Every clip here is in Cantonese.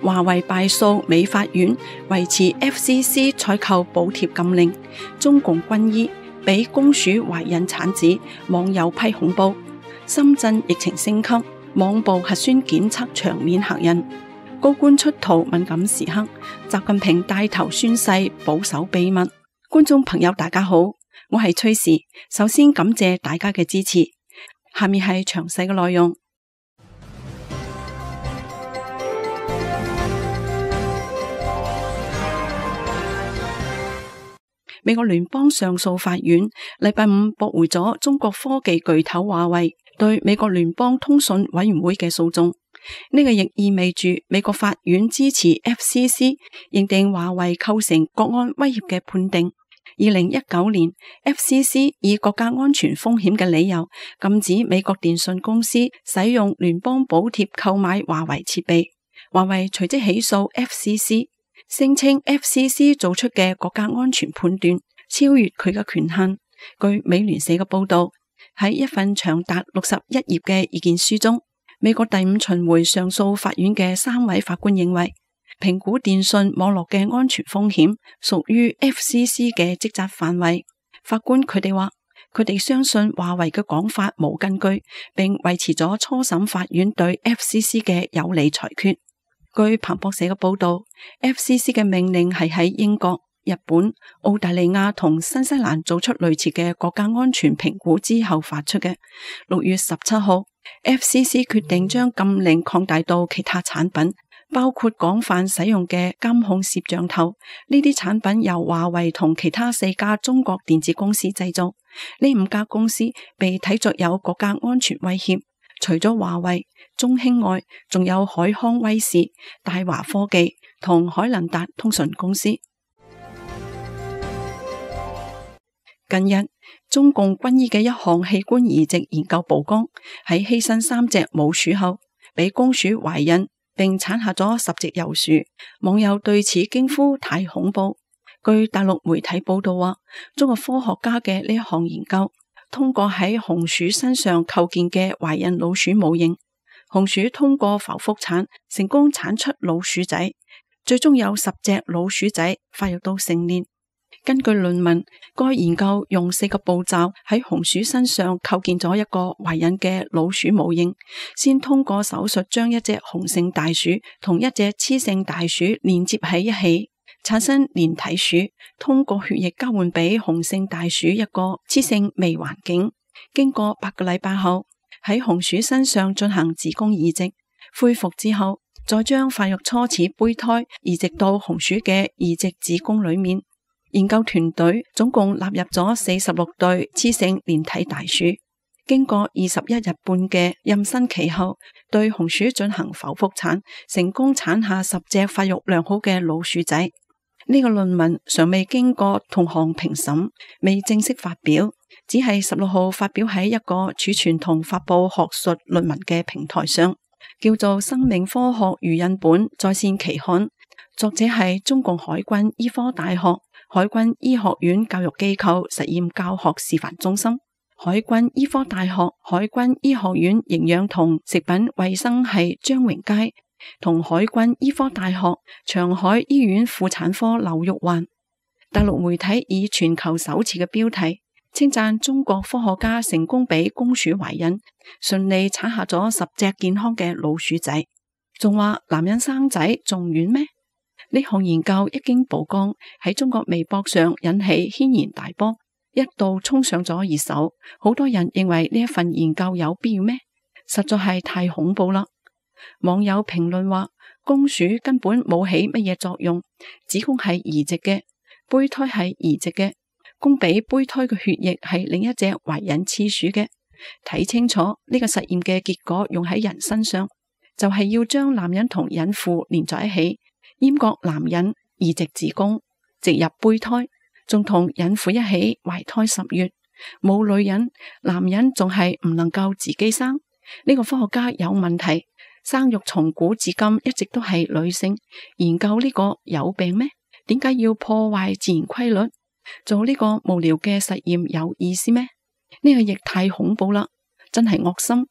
華為敗訴美法院維持 FCC 採購補貼禁令，中共軍醫俾公署懷孕產子，網友批恐怖。深圳疫情升級，網曝核酸檢測場面嚇人。高官出逃敏感時刻，習近平帶頭宣誓保守秘密。觀眾朋友大家好，我係崔氏，首先感謝大家嘅支持。下面係詳細嘅內容。美國聯邦上訴法院禮拜五駁回咗中國科技巨頭華為對美國聯邦通訊委員會嘅訴訟。呢個亦意味住美國法院支持 FCC 認定華為構成國安威脅嘅判定。2019年 FCC 以國家安全風險嘅理由禁止美國電信公司使用聯邦補貼購買華為設備。華為隨即起訴 FCC， 聲稱 FCC 做出嘅國家安全判斷超越佢嘅權限。據美聯社嘅報道，喺一份長達61頁嘅意見書中，美國第五巡迴上訴法院嘅3位法官認為，評估電信網絡嘅安全風險屬於 FCC 嘅職責範圍。法官佢哋話，佢哋相信華為嘅講法冇根據，並維持咗初審法院對 FCC 嘅有利裁決。據彭博社嘅報道， FCC 嘅命令係喺英國、日本、澳大利亞同新西蘭做出類似嘅國家安全評估之後發出嘅。6月17號 FCC 決定將禁令擴大到其他產品，包括廣泛使用嘅監控攝像頭。呢啲產品由華為同其他4家中國電子公司製造。呢5家公司被睇作有國家安全威脅。除咗華為、中興外，仲有海康威視、大華科技同海能達通訊公司。近日，中共軍醫嘅一項器官移植研究曝光，喺犧牲3隻母鼠後，俾公鼠懷孕並產下咗10隻幼鼠。網友對此驚呼太恐怖。據大陸媒體報道話，中國科學家嘅呢一項研究，通過喺紅鼠身上構建嘅懷孕老鼠模型，紅鼠通過剖腹產成功產出老鼠仔，最終有10隻老鼠仔發育到成年。根據論文，該研究用4個步驟喺紅鼠身上構建咗一個懷孕嘅老鼠模型，先通過手術將一隻雄性大鼠同一隻雌性大鼠連接喺一起，產生連體鼠，通過血液交換俾雄性大鼠一個雌性微環境。經過8個禮拜後，喺紅鼠身上進行子宮移植，恢復之後，再將發育初始胚胎移植到紅鼠嘅移植子宮裏面。研究團隊總共納入咗46對雌性連體大鼠，經過21日半嘅妊娠期後，對紅鼠進行剖腹產，成功產下10隻發育良好嘅老鼠仔。呢個論文尚未經過同行評審，未正式發表，只係16號發表喺一個儲存同發佈學術論文嘅平台上，叫做《生命科學預印本在線期刊》，作者係中共海軍醫科大學海軍醫學院教育機構實驗教學示範中心、海軍醫科大學海軍醫學院營養同食品衛生系張榮佳同海軍醫科大學長海醫院婦產科劉玉環。大陸媒體以全球首次嘅標題稱讚中國科學家成功俾公鼠懷孕，順利產下咗10隻健康嘅老鼠仔，仲話男人生仔仲遠咩？呢項研究一經曝光，喺中國微博上引起軒然大波，一度衝上咗熱搜。好多人認為呢一份研究有必要咩？實在係太恐怖啦！網友評論話，公鼠根本冇起乜嘢作用，子宮係移植嘅，胚胎係移植嘅，供俾胚胎嘅血液係另一隻懷孕雌鼠嘅。睇清楚呢個實驗嘅結果用喺人身上，就係要將男人同孕婦連在一起，閹割男人，移植子宮，植入胚胎，仲同孕婦一起懷胎10月。冇女人，男人仲係唔能夠自己生。呢個科學家有問題，生育從古至今一直都係女性。研究呢個有病咩？點解要破壞自然規律？做呢個無聊嘅實驗有意思咩？呢個亦太恐怖啦，真係惡心。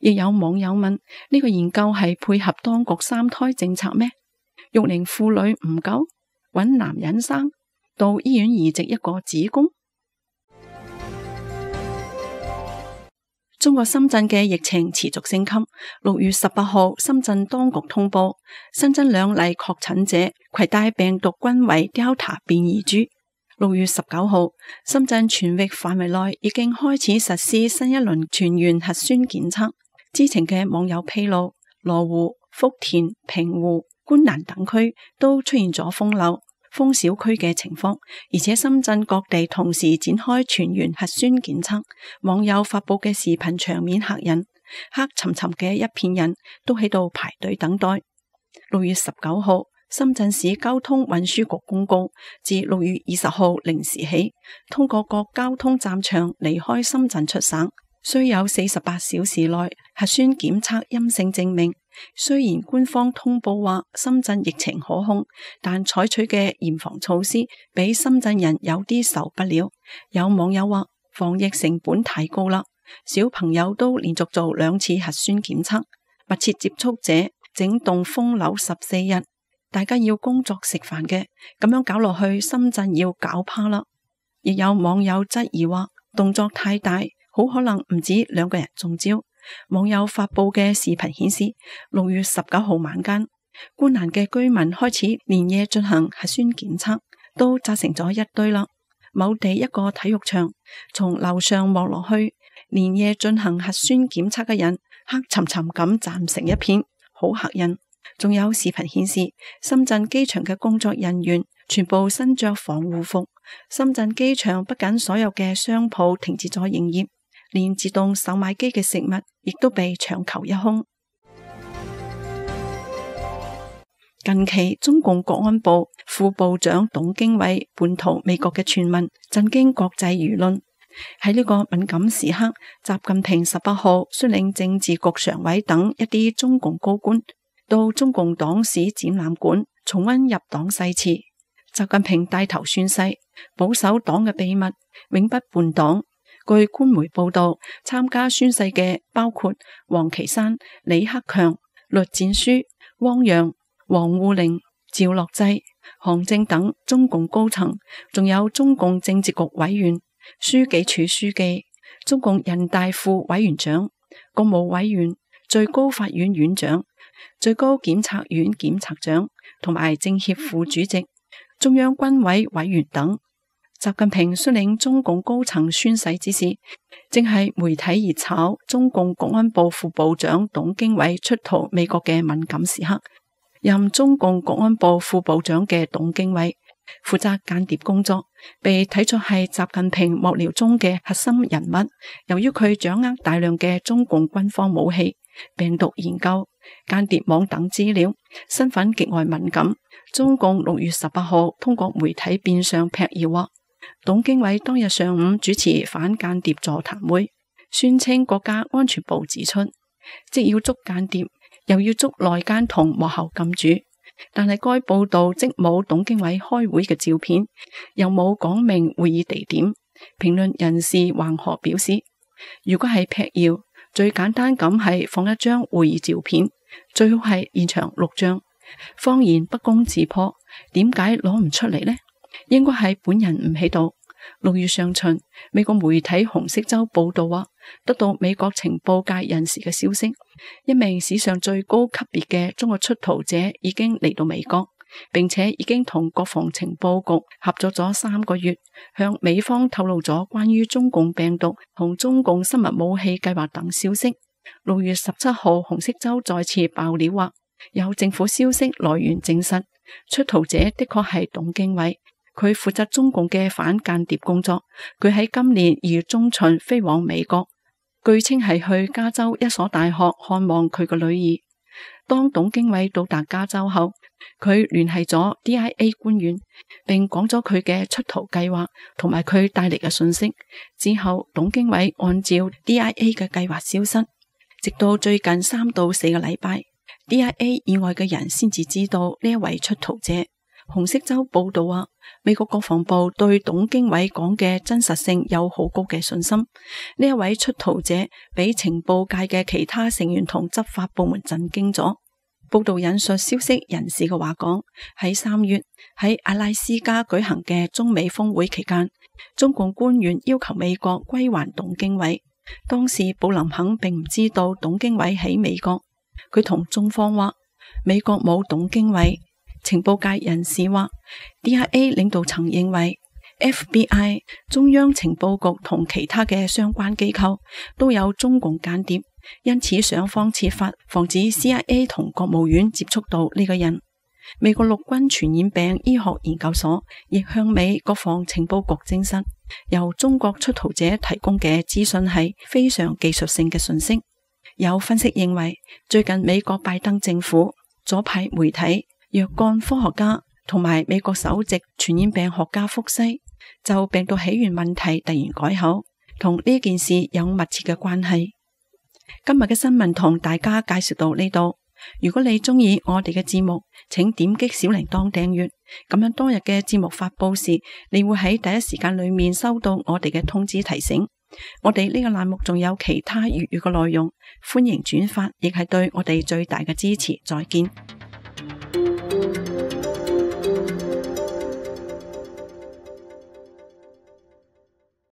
亦有網友問，呢個研究係配合當局3胎政策咩？育齡婦女唔夠，搵男人生，到醫院移植一個子宮。中國深圳嘅疫情持續升級。6月18號，深圳當局通報新增2例確診者攜帶病毒均為 Delta 變異株。6月19號，深圳全域範圍內已經開始實施新一輪全員核酸檢測。知情嘅網友披露，羅湖、福田、平湖、觀瀾等區都出現咗封樓、封小區嘅情況，而且深圳各地同時展開全員核酸檢測。網友發佈嘅視頻場面嚇人，黑沉沉嘅一片人都喺度排隊等待。6月19號，深圳市交通運輸局公告，自6月20號零時起，通過各交通站場離開深圳出省，需有48小時內核酸檢測陰性證明。雖然官方通報話深圳疫情可控，但採取嘅嚴防措施俾深圳人有啲受不了。有網友話防疫成本太高啦，小朋友都連續做2次核酸檢測，密切接觸者整棟封樓14日，大家要工作食飯嘅，咁樣搞落去深圳要搞趴啦。亦有網友質疑話動作太大，好可能唔止2個人中招。網友發佈嘅視頻顯示，6月19號晚間，觀瀾嘅居民開始連夜進行核酸檢測，都紮成咗一堆啦。某地一個體育場，從樓上望落去，連夜進行核酸檢測嘅人黑沉沉咁站成一片，好嚇人。仲有視頻顯示，深圳機場嘅工作人員全部身着防護服。深圳機場不僅所有嘅商鋪停止咗營業，連自動售賣機嘅食物亦都被搶購一空。近期中共國安部副部長董經緯叛逃美國嘅傳聞震驚國際輿論。喺呢個敏感時刻，習近平18號率領政治局常委等一啲中共高官到中共黨史展覽館重溫入黨誓詞。習近平帶頭宣誓，保守黨嘅秘密，永不叛黨。據官媒報道，參加宣誓嘅包括王岐山、李克強、栗戰書、汪洋、王滬寧、趙樂際、韓正等中共高層，仲有中共政治局委員、書記處書記、中共人大副委員長、國務委員、最高法院院長、最高檢察院檢察長同埋政協副主席、中央軍委委員等。習近平率領中共高層宣誓之時，正係媒體熱炒中共國安部副部長董經緯出逃美國嘅敏感時刻。任中共國安部副部長嘅董經緯負責間諜工作，被睇作係習近平幕僚中嘅核心人物。由於佢掌握大量嘅中共軍方武器、病毒研究、間諜網等資料，身份極為敏感。中共6月18號通過媒體變相闢謠話，董經緯當日上午主持反間諜座談會，宣稱國家安全部指出，即要捉間諜，又要捉內奸同幕後金主。但係該報道即冇董經緯開會嘅照片，又冇講明會議地點。評論人士橫河表示，如果係闢謠，最簡單咁係放一張會議照片，最好係現場錄像。謊言不攻自破，點解攞唔出嚟呢？應該係本人唔喺度。6月上旬，美國媒體紅色週報道話，得到美國情報界人士嘅消息，一名史上最高級別嘅中國出逃者已經嚟到美國，並且已經同國防情報局合作咗3個月，向美方透露咗關於中共病毒同中共生物武器計劃等消息。6月17號，紅色週再次爆料話，有政府消息來源證實，出逃者的確係董經緯。佢負責中共嘅反間諜工作。佢喺今年2月中旬飛往美國，據稱係去加州一所大學看望佢個女兒。當董經緯到達加州後，佢聯繫咗 DIA 官員，並講咗佢嘅出逃計劃同埋佢帶嚟嘅信息。之後，董經緯按照 DIA 嘅計劃消失，直到最近3到4個禮拜，DIA 以外嘅人先至知道呢一位出逃者。紅色週報道話，美國國防部對董經緯講嘅真實性有好高嘅信心。呢一位出逃者俾情報界嘅其他成員同執法部門震驚咗。報道引述消息人士嘅話講，喺3月喺阿拉斯加舉行嘅中美峰會期間，中共官員要求美國歸還董經緯。當時布林肯並唔知道董經緯喺美國，佢同中方話美國冇董經緯。情報界人士話 DIA 領導層認為 FBI 中央情報局同其他嘅相關機構都有中共間諜，因此想方設法防止 CIA 同國務院接觸到呢個人。美國陸軍傳染病醫學研究所亦向美國防情報局證實，由中國出逃者提供嘅資訊係非常技術性嘅信息。有分析認為，最近美國拜登政府、左派媒體、若干科學家同埋美國首席傳染病學家福西就病毒起源問題突然改口，同呢件事有密切嘅關係。今日嘅新聞同大家介紹到呢度。如果你中意我哋嘅節目，請點擊小鈴鐺訂閱，咁樣當日嘅節目發佈時，你會喺第一時間裏面收到我哋嘅通知提醒。我哋呢個欄目仲有其他粵語嘅內容，歡迎轉發，亦係對我哋最大嘅支持。再見。